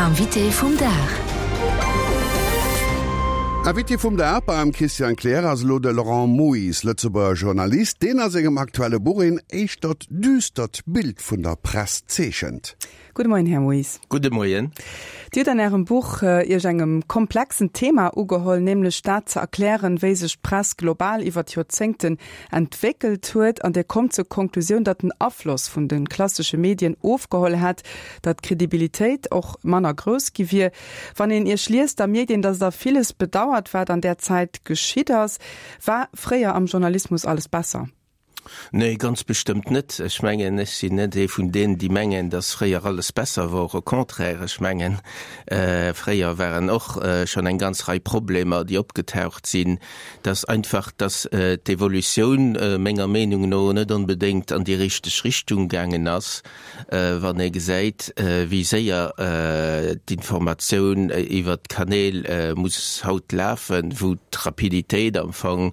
Invité vum Dag. Invité vum Dag beim Christian Kleer ass elo de Laurent Moyse, Lëtzebuerger Journalist, deen a sengem aktuelle Buch een éischtert düstert Bild vun der Press zeechent. Gudde Moien, Här Moyse. Gudde Moien. Dir hutt an Ärem Buch Iech engem komplexen Thema ugeholl, nämlech dat ze erklären, wéi sech d'Press global iwwer d'Joerzéngten entwéckelt huet. An Dir kommt zur Konklusioun, datt den Afloss vun de klassesche Medien ofgeholl hätt, datt d'Kredibilitéit och manner grouss gi wier. Wann een Iech liest, da mierkt een, datt Der villes bedauert, wat an där Zäit geschitt ass. War fréier am Journalismus alles besser? Nee, ganz bestëmmt net. Ech mengen, ech sinn net ee vun deenen, déi mengen, datt fréier alles besser wor. Au contraire, ech mengen, fréier waren och schonn eng ganz Rei Problemer, déi opgetaucht sinn. Dass einfach, datt d'Evolutioun menger Meenung no net onbedéngt an déi richteg Richtung gaangen ass. Wann ee gesäit, wéi séier d'Informatioun iwwert d'Kanäl muss haut lafen, wou d'Rapiditéit am Fong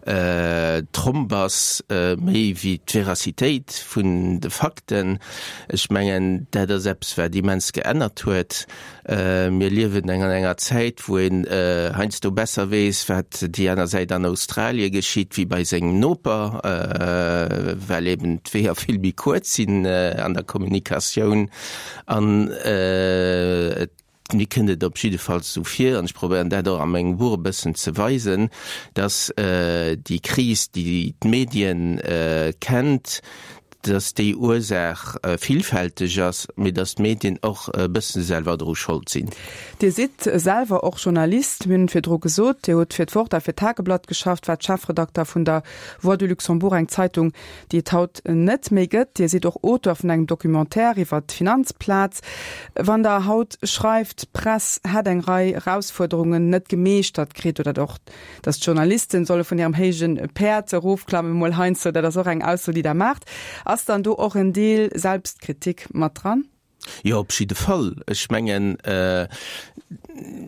Tromp ass, méi wéi d'Veracitéit vun de Fakten, ech mengen, dat ass eppes, wat immens geännert huet. Mir liewen an enger Zäit, wou een heiansdo besser weess, wat déi aner Säit an Australie geschitt, wéi bei sengem Noper, well eben d'Weeër vill méi kuerz sinn an der Kommunikatioun. An et, mir kënnt et op jiddefalls esou vir, an ech probéieren dat och a mengem Buch e bëssen ze weisen, datt déi Kris, déi d'Medien kennt, dass déi Ursaach villfälteg ass, mee dass d'Medien och e bësse selwer dru Schold sinn. Dir sidd selwer och Journalist, mir hunn et virdru gesot. Dir hutt fir d'Wort a fir d'Tageblatt geschafft, waart Chefredakter vun der Voix du Luxembourg, eng Zeitung, déi et haut net méi gëtt. Dir sidd och Auteur vun engem Documentaire iwwer d'Finanzplaz. Wann Der haut schreift, d'Press hätt eng Rei Erausfuerderungen net gemeeschtert kritt oder och Dass d'Journalisten solle vun hirem héije Päerd erofklammen, mol heiansdo, dat ass och eng Ausso, déi Der maacht. Ass dann do och en Deel Selbstkritik mat dran? Jo, op jidde Fall. Ech mengen,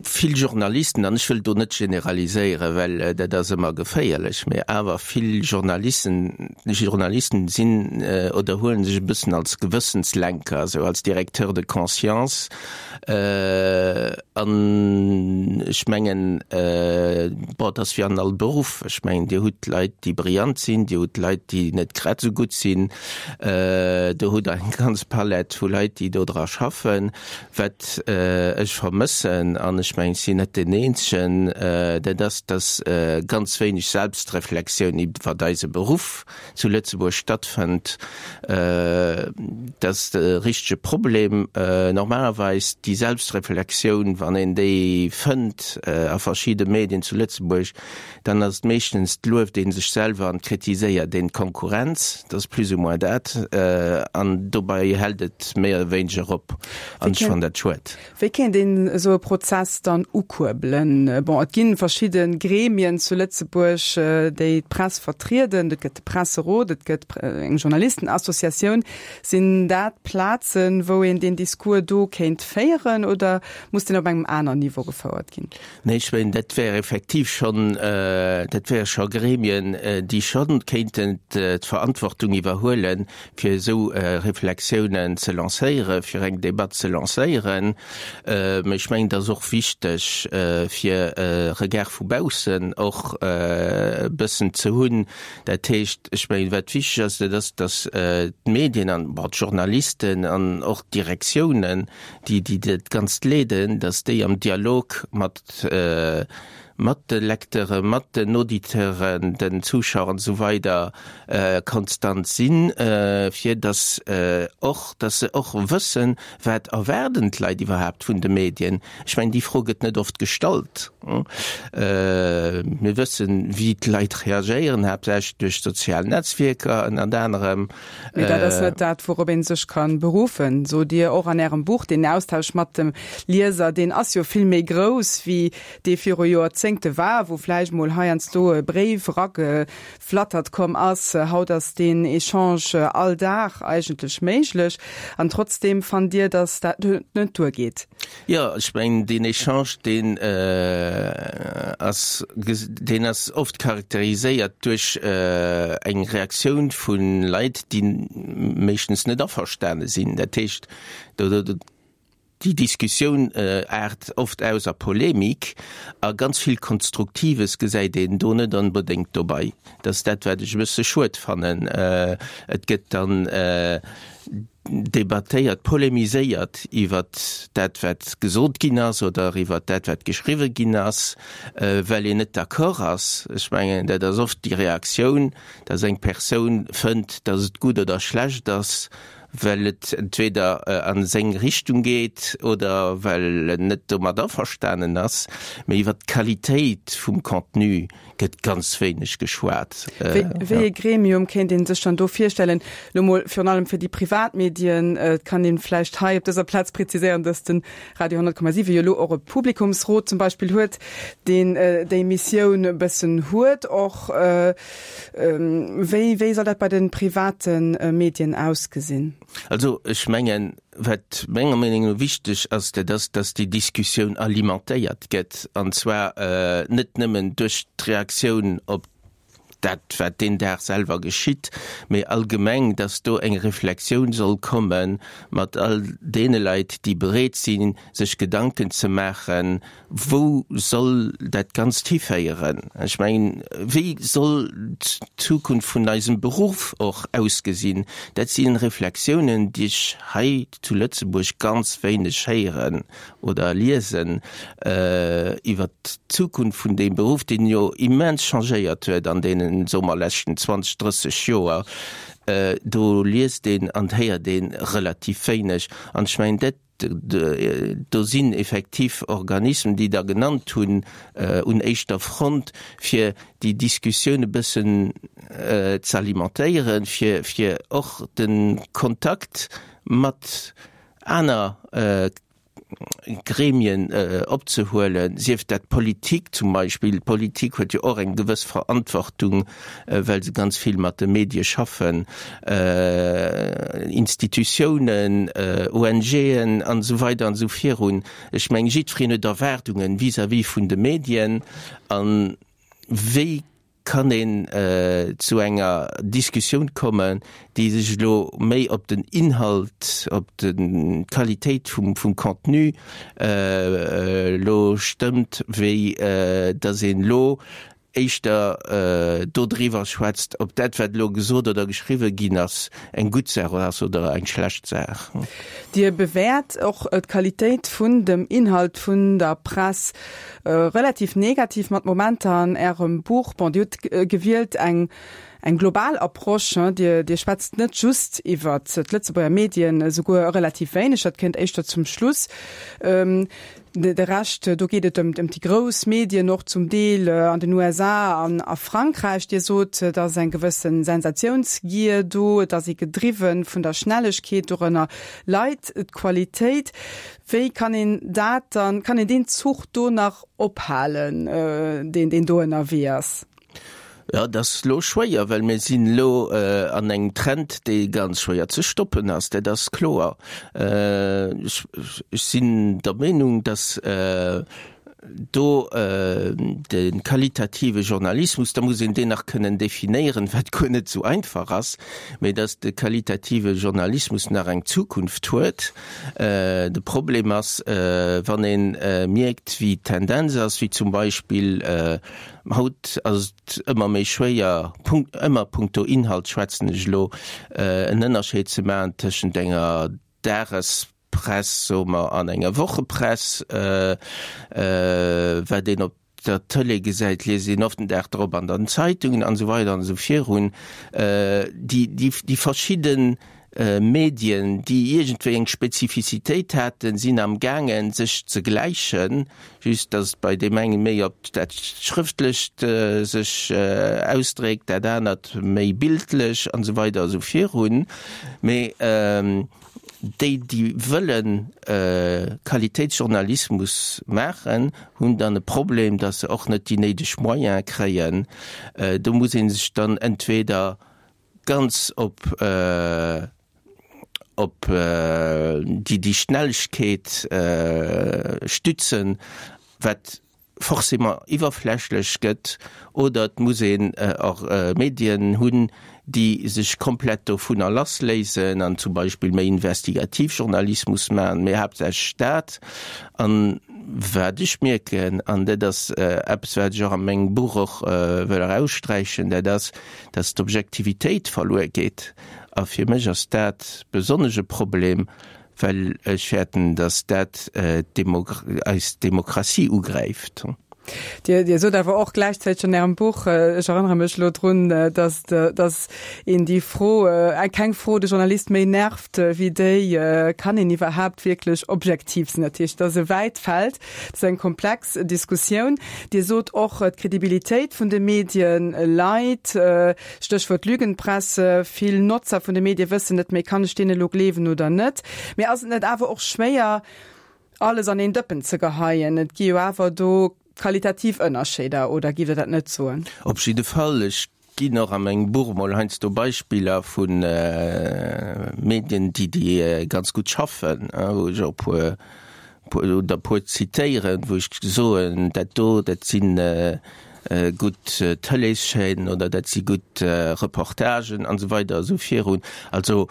vill Journalisten, an ech wëll do net generaliséieren, well dat ass ëmmer geféierlech, mä awer vill Journalisten, Journalisten sinn oder huele sech e bëssen als Gewëssenslenker, esou als Directeur de conscience, An ech mengen, bon, et ass wéi an all Beruff, ech mengen, Dir hutt Leit, déi brillant sinn, Dir hutt Leit, déi net grad esou gutt sinn, do hutt Der eng ganz Palett vu Leit, déi do dra schaffen. Wat ech vermëssen, an ech mengen, ech sinn net deen Eenzegen, dat ass, datt ganz wéineg Selbstreflexioun iwwert eise Beruff zu Lëtzebuerg stattfënnt, dat ass de richtege Problem. Normalerweis déi Selbstreflexioun, wann een déi fënnt a verschidde Medien zu Lëtzebuerg, dann ass et meeschtens, 't lueft ee sech selwer an 't kritiséiert een d'Konkurrenz. Dat ass plus ou moins dat. An dobei hält et méi oder wéineger op. An ech fannen dat schued. Wéi kéint een esou e Prozess dann ukuerbelen? Bon, et gi verschidde Gremien zu Lëtzebuerg, déi d'Press vertrieden. Et gëtt de Presserot, et gëtt eng Journalistenassociatioun. Sinn dat Plazen, wou een deen Discours do kéint féieren oder muss deen op engem aner Niveau gefouert ginn? Nee, ech mengen, dat wär effektiv schonn, dat wäre scho Gremien, déi scho kéinten d'Verantwortung iwwerhuelen, fir esou Reflexiounen ze lancéieren, fir eng Debatt ze lancéieren. Mä ech mengen, et ass och wichteg, fir e Regard vu baussen och e bëssen ze hunn. Dat heescht, ech mengen, wat wichteg ass, dat ass, datt d'Medien an, bon, d'Journalisten an och d'Direktiounen, déi, déi dat Ganzt leeden, datt déi am Dialog mat, mat de Lecteuren, mat den Auditeuren, den Zuschauer an esou weider konstant sinn, fir datt och, datt se och wëssen, wat erwaarden d'Leit iwwerhaapt vun de Medien. Ech mengen, déi Fro gëtt net oft gestallt. Mir wëssen, wéi d'Leit reagéieren, haaptsächlech duerch d'sozial Netzwierker ënnert anerem. Mee dat ass net dat, wourop ee sech ka beruffen, sot Dir och an Ärem Buch. Deen Austausch mat dem Lieser, deen ass jo vill méi grouss wéi dee viru Joerzéngte war, wou vläicht mol heiansdo e Bréif erageflattert komm ass. Haut ass deen Echange all Dag eigentlech méiglech. An trotzdeem fannt Dir, datt dat net duergeet? Jo, ech mengen, deen Echange, deen ass, deen ass oft charakteriséiert duerch eng Reaktioun vu Leit, déi meeschtens net averstane sinn. Dat heescht, do. Déi Diskussioun aart oft aus a Polemik a ganz vill Konstruktives gesäit een do net onbedéngt dobei. Dat ass dat, wat ech e bësse schued fannen. Et gëtt dann debattéiert, polemiséiert iwwert dat, wat gesot ginn ass oder iwwert dat, wat geschriwwe ginn ass, well een net d'accord ass. Ech mengen, dat ass oft déi Reaktioun, dass eng Persoun fënnt, dass et gutt oder schlecht ass, well et entweder a seng Richtung geet oder well en net domat averstanen ass, mee iwwer d'Qualitéit vum Contenu gëtt ganz wéineg geschwat. Wéi ee Gremium kéint ee sech dann do virstellen? Elo mol virun allem fir déi privat Medien. Et kann ee vläicht hei op dëser Plaz preziséieren, datt de Radio 100,7 jo elo och e Publikumsrot zum Beispill huet, deen déi Missioun e bëssen huet och. Wéi, wéi soll dat bei de private Medien ausgesinn? Also ech mengen, wat menger Meenung no wichteg ass, dat ass, datt déi Diskussioun alimentéiert gëtt, an zwar net nëmmen duerch d'Reaktioun op dat, wat deen Dag selwer geschitt, mee allgemeng, datt do eng Reflexioun soll komme mat all deene Leit, déi bereet sinn, sech Gedanken ze maachen, Wou soll dat Ganzt hiféieren? Ech mengen, wéi soll d'Zukunft vun eisem Beruff och ausgesinn? Dat si Reflexiounen, déi ech hei zu Lëtzebuerg ganz wéineg héieren oder liesen iwwert d'Zukunft vun deem Beruff, deen jo immens changéiert huet an deenen, soe mer, leschten 20, 30 Joer. Do liest een an héiert ee relativ wéineg. An ech mengen, dat Do sinn effektiv Organismen, déi Der genannt hunn, un éischter Front, fir déi Diskussioun e bëssen ze alimentéieren, fir och de Kontakt mat aner Gremien opzehuelen, sief dat d'Politik zum Beispill. D'Politik huet jo och eng gewëss Verantwortung, well se ganz vill mat de Medie schaffen, Institutiounen, ONGen an esou weider an esou virun. Ech mengen, jiddwereen huet Erwaardungen vis-à-vis vun de Medien. A wéi kann een zu enger Diskussioun kommen, déi sech elo méi op den Inhalt, op d'Qualitéit vum Contenu elo stëmmt, wéi datt een elo éischter dodriwwer schwätzt, ob dat, wat elo gesot oder geschriwwe ginn ass, eng gutt Saach ass oder eng schlecht Saach. Dir bewäert och d'Qualitéit vun dem Inhalt vun der Press relativ negativ mat Momenter an Ärem Buch. Bon, Dir hutt gewielt eng eng global Approche. Dir Dir schwätzt net just iwwert d'Lëtzebuerger Medien, esouguer relativ wéineg, dat kënnt éischter zum Schluss. De Rescht, do geet et ëm déi grouss Medien, och zum Deel an den USA an a Frankräich. Dir sot, et ass eng gewësse Sensatiounsgier do, et ass ee gedriwwe vun der Schnellegkeet, dorënner leit d'Qualitéit. Wéi kann een dat dann, kann een deen Zuch do nach ophalen, deen deen do ënnerwee ass? Jo, et ass elo schwéier, well mir sinn elo an engem Trend, dee ganz schwéier ze stoppen ass, dat ass kloer. Ech sinn der Meenung, datt do de qualitative Journalismus, da muss een deen nach kënnen definéieren, wat guer net esou einfach ass, mä datt de qualitative Journalismus nach eng Zukunft huet. De Problem ass, wann ee mierkt, wéi d'Tendenz ass, wéi zum Beispill, Haut ass et ëmmer méi schwéier, ëmmer punkto Inhalt schwätzen ech elo, en Ënnerscheed ze maachen tëschent enger Dagespress, soe mer, an enger Wochepress. Wat een op der Tëlee gesäit, liest een oft den Dag drop an den Zeitungen an esou weider an esou virun. Déi verschidden Medien, déi iergendwéi eng Spezifizitéit haten, sinn am gaangen, sech ze gläichen, just datt et bei deem enge méi op dat Schrëftlecht sech ausdréckt, dat anert méi bildlech an esou weider esou virun. Mee déi, déi wëlle Qualitéitsjournalismus maachen, hunn dann e Problem, datt se och net déi néideg Moyene kréien. Do muss ee sech dann entweder ganz op op déi déi Schnellegkeet stützen, wat. forcément iwwerflächlech gëtt, oder et muss een och Medien hunn, déi sech komplett dovunner lassléisen an zum Beispill méi Investigativjournalismus maachen, mee haaptsächlech dat. An wat ech mierken, an dat ass eppes, wat ech och a mengem Buch och wëll eraussträichen, dat ass, dass d'Objektivitéit verluer geet. A fir mech ass dat besonnesch e Problem, well ech fäerten, dass dat eis Demokratie ugräift. Dir, Dir sot awer och gläichzäiteg an Ärem Buch, ech erënnere mech elo drun, dass, dass een déi Fro, keng Fro de Journalist méi nervt wéi déi, Kann een iwwerhaapt wierklech objektiv sinn? Dat heescht, dat ass e wäit Feld, dat ass eng komplex Diskussioun. Dir sot och, d'Kredibilitéit vun de Medie leit, Stéchwuert Lügenpresse, vill Notzer vun de Medie wëssen net méi, kann ech deenen elo gleewen oder net? Mee ass et net awer och schwéier, alles an een Dëppen ze geheien? Et gi jo awer do qualitativ Ënnerscheeder, oder giff Der dat net soen? Op jidde Fall. Ech ginn och a mengem Buch emol heiansdo Beispiller vu Medien, déi déi ganz gutt schaffen, wou ech och e puer oder e puer zitéieren, wou ech soen, dat do, dat si gutt Tëleeschaînen oder dat si gutt Reportagen an esou weider a sou virun. Also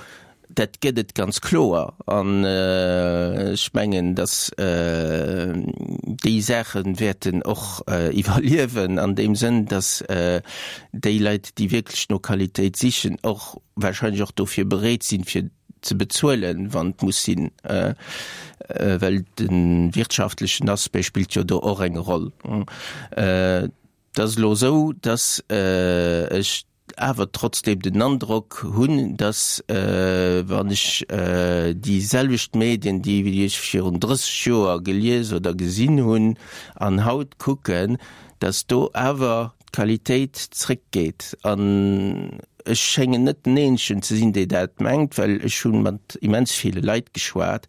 dat gëtt et ganz kloer. An ech mengen, datt déi Saache wäerten och iwwerliewen an deem Sënn, datt déi Leit, déi wierklech no Qualitéit sichen, och wahrscheinlech och dofir bereet sinn, fir ze bezuelen, wann et muss sinn, well de wirtschaftlechen Aspect spillt jo do och eng Roll. Et ass elo esou, datt ech awer trotzdeem den Androck hunn, datt wann ech déi selwecht Medien, déi ech virun 30 Joer gelies oder gesinn hunn, an haut kucken, datt do awer d'Qualitéit zréckgeet. An ech schéngen net den Eenzegen ze sinn, dee dat mengt, well ech hu mat immens ville Leit geschwat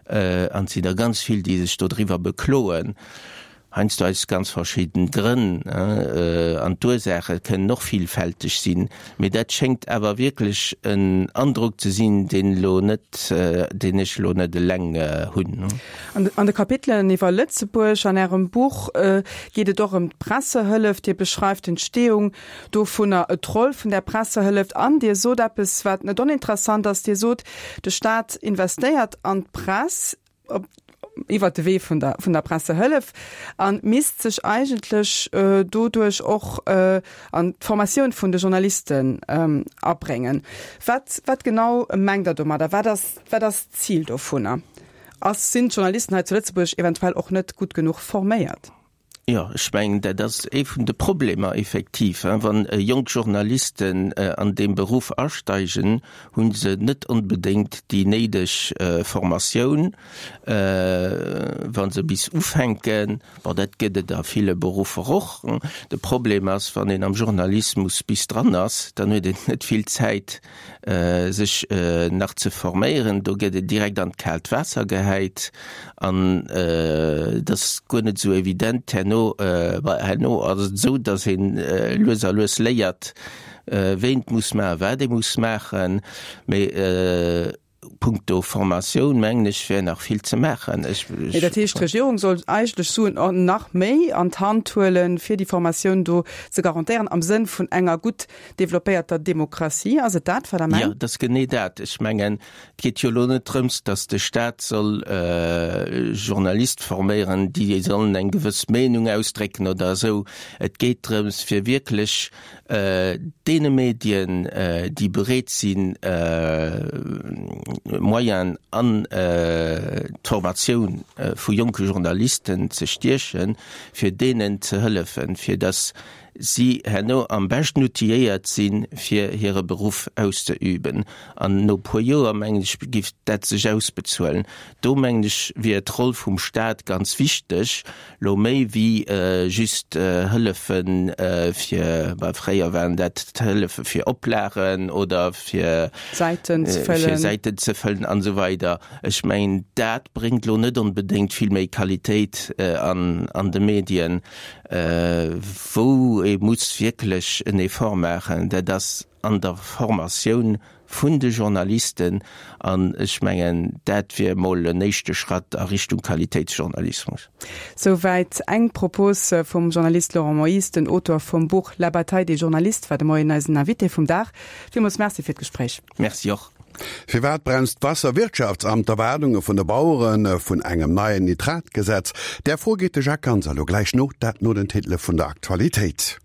an et sinn der ganz vill, déi sech dodriwwer bekloen, heiansdo aus ganz verschidden Grënn. An d'Ursaache kënnen och villfälteg sinn. Mee dat schéngt awer wierklech en Androck ze sinn, deen elo net, deen ech elo net eleng hunn. An de Kapitelen iwwer Lëtzebuerg an Ärem Buch geet et och ëm d'Pressehëllef. Dir beschreift d'Entstehung dovunner, d'Roll vun där Pressehëllef an Dir sot eppes, wat net oninteressant ass. Dir sot, de Staat investéiert an d'Press iwwert de Wee vun der vun der Pressehëllef a misst sech eigentlech doduerch och an d'Formatioun vun de Journalisten abréngen. Wat wat genau mengt Der domadder? Wat ass wat ass d'Zil dovunner? Ass, sinn d'Journalisten hei zu Lëtzebuerg eventuell och net gutt genuch forméiert? Jo, ech mengen, dat ass ee vun de Problemer effektiv. Wann jonk Journalisten an deem Beruff asteigen, hu se net onbedéngt déi néideg Formatioun, wa se bis ufänken. Bon, dat gëtt et a ville Beruffer och. De Problem ass, wann een am Journalismus bis dran ass, dann huet een net vill Zäit, sech nach ze forméieren. Do gëtt een direkt an d'kaalt Waasser gehäit an et ass guer net esou evident. Herno, herno ass et esou, datt een lues a lues léiert, wéi een et muss maachen, wat ee muss maachen. Mee punkto Formatioun, mengen ech, wär nach vill ze maachen. Ech. Mee dat heescht, d'Regierung soll eigentlech Suen nach méi an d'Hand huelen, fir déi Formatioun do ze garantéieren am Sënn vun enger gutt Développéierter Demokratie, ass et dat, wat Der mengt? Jo, et ass genee dat. Ech mengen, et geet jo elo net drëms, datt de Staat soll Journaliste forméieren, déi sollen eng gewëss Meenung ausdrécken oder esou. Et geet drëms, fir wierklech deene Medien, déi bereet sinn, Moyenen an d'Formatioun vu jonke Journalisten ze stiechen, fir deenen ze hëllefen, fir datt si herno am beschten outilléiert sinn, fir hire Beruff auszeüben. An no e puer Joer, mengen ech, giff dat sech ausbezuelen. Do, mengen ech, wier d'Roll vum Staat ganz wichteg, lo méi wéi just Hëllefe fir, bah, fréier waren dat d'Hëllefe fir Oplagen oder fir Säiten ze fëllen, fir Säiten ze fëllen an esou weider. Ech mengen, dat bréngt lo net onbedéngt vill méi Qualitéit an, an de Medien. Wou. wou ee muss wierklech en Effort maachen, dat ass an der Formatioun vun de Journalisten. An ech mengen, dat wier emol en éischte Schratt a Richtung Qualitéitsjournalismus. Souwäit eng Propos vum Journalist Laurent Moyse, den Auteur vum Buch La bataille des journalistes war de Moien eisen Invité vum Dag. Villmools Merci fir d'Gespréich. Merci och. Firwat bremst d'Waasserwirtschaftsamt d'Erwaardunge vun de Bauere vun engem neien Nitratgesetz? Där Fro geet de Jacques Ganser elo gläich no, dat no den Titele vun der Aktualitéit.